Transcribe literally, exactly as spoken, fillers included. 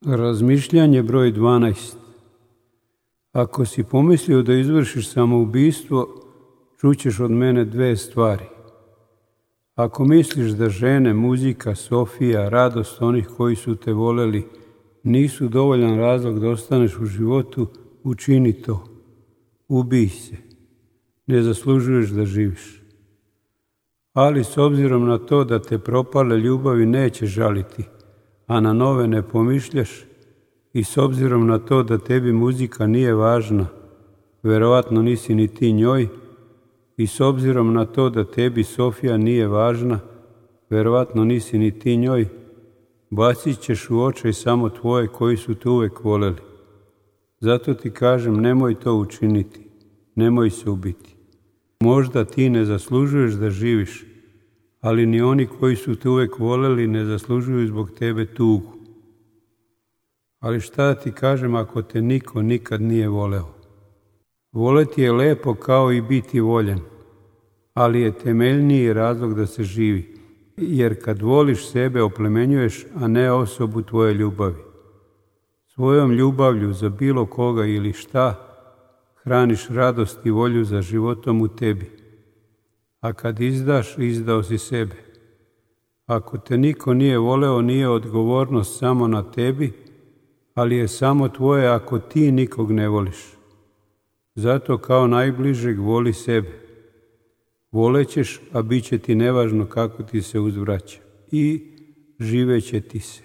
Razmišljanje broj dvanaest. Ako si pomislio da izvršiš samoubistvo, čućeš od mene dve stvari. Ako misliš da žene, muzika, Sofija, radost onih koji su te voleli nisu dovoljan razlog da ostaneš u životu, učini to. Ubij se. Ne zaslužuješ da živiš. Ali s obzirom na to da te propale ljubavi neće žaliti, a na nove ne pomišljaš, i s obzirom na to da tebi muzika nije važna, verovatno nisi ni ti njoj, i s obzirom na to da tebi Sofija nije važna, verovatno nisi ni ti njoj, bacit ćeš u očaj samo tvoje koji su te uvek voleli. Zato ti kažem, nemoj to učiniti, nemoj se ubiti. Možda ti ne zaslužuješ da živiš, ali ni oni koji su te uvek voleli ne zaslužuju zbog tebe tugu. Ali šta da ti kažem ako te niko nikad nije voleo? Voleti je lepo kao i biti voljen, ali je temeljniji razlog da se živi, jer kad voliš sebe oplemenjuješ, a ne osobu tvoje ljubavi. Svojom ljubavlju za bilo koga ili šta, hraniš radost i volju za životom u tebi. A kad izdaš, izdao si sebe. Ako te niko nije voleo, nije odgovornost samo na tebi, ali je samo tvoje ako ti nikog ne voliš. Zato kao najbližeg voli sebe. Volećeš, a bit će ti nevažno kako ti se uzvraća. I živeće ti se.